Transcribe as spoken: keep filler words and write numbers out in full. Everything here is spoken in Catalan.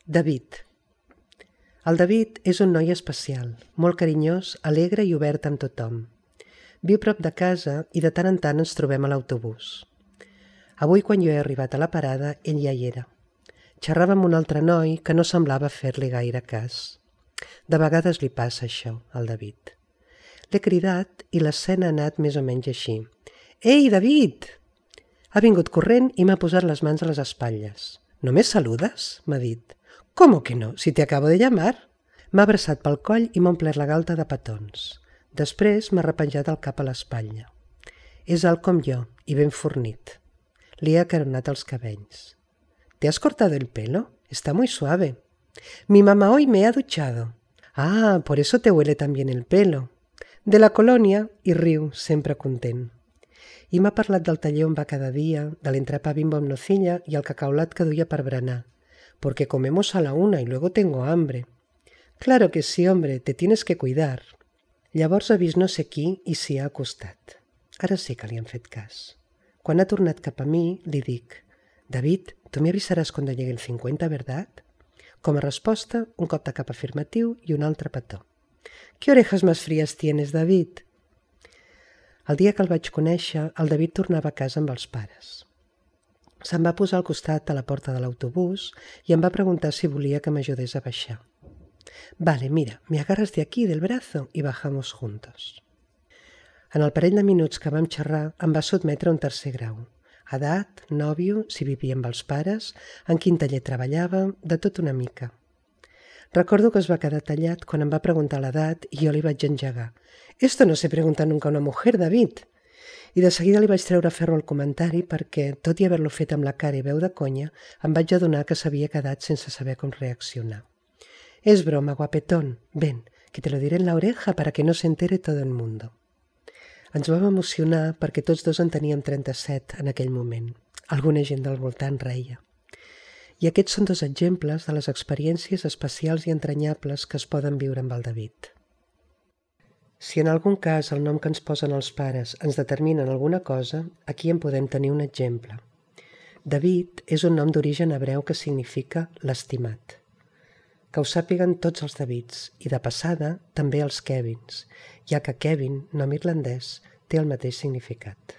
David. El David és un noi especial, molt carinyós, alegre i obert amb tothom. Viu prop de casa i de tant en tant ens trobem a l'autobús. Avui, quan jo he arribat a la parada, ell ja hi era. Xerrava amb un altre noi que no semblava fer-li gaire cas. De vegades li passa això, al David. L'he cridat i l'escena ha anat més o menys així. «Ei, David!» Ha vingut corrent i m'ha posat les mans a les espatlles. «¿No me saludas?», m'ha dit. «¿Cómo que no? Si te acabo de llamar». M'ha abraçat pel coll i m'ha omplert la galta de petons. Després m'ha repenjat el cap a l'espatlla. És alt com jo i ben fornit. Li he acaronat els cabells. «¿Te has cortado el pelo? Está muy suave. Mi mamá hoy me ha duchado. Ah, por eso te huele tan bien el pelo. De la colonia», i riu, sempre content. I m'ha parlat del taller on va cada dia, de l'entrepà Bimbo amb nocilla i el cacaulat que duia per berenar. «Porque comemos a la una y luego tengo hambre». «Claro que sí, hombre, te tienes que cuidar». Llavors ha vist no sé qui i s'hi ha acostat. Ara sí que li han fet cas. Quan ha tornat cap a mi, li dic: «David, tu me avisaràs cuando llegue el cincuenta, ¿verdad?» Com a resposta, un cop de cap afirmatiu i un altre petó. «¿Qué orejas más frías tienes, David?» El dia que el vaig conèixer, el David tornava a casa amb els pares. Se'm va posar al costat a la porta de l'autobús i em va preguntar si volia que m'ajudés a baixar. «Vale, mira, me agarras de aquí del brazo y bajamos juntos». En el parell de minuts que vam xerrar em va sotmetre a un tercer grau. Edat, nòvio, si vivia amb els pares, en quin taller treballava, de tot una mica. Recordo que es va quedar tallat quan em va preguntar l'edat i jo li vaig engegar. «Esto no se pregunta nunca a una mujer, David». I de seguida li vaig treure ferro al comentari perquè, tot i haver-lo fet amb la cara i veu de conya, em vaig adonar que s'havia quedat sense saber com reaccionar. «Es broma, guapetón. Ven, que te lo diré en la oreja para que no se entere todo el mundo». Ens vam emocionar perquè tots dos en teníem trenta-set en aquell moment. Alguna gent del voltant reia. I aquests són dos exemples de les experiències especials i entranyables que es poden viure amb el David. Si en algun cas el nom que ens posen els pares ens determina en alguna cosa, aquí en podem tenir un exemple. David és un nom d'origen hebreu que significa l'estimat. Que ho sàpiguen tots els Davids i, de passada, també els Kevins, ja que Kevin, nom irlandès, té el mateix significat.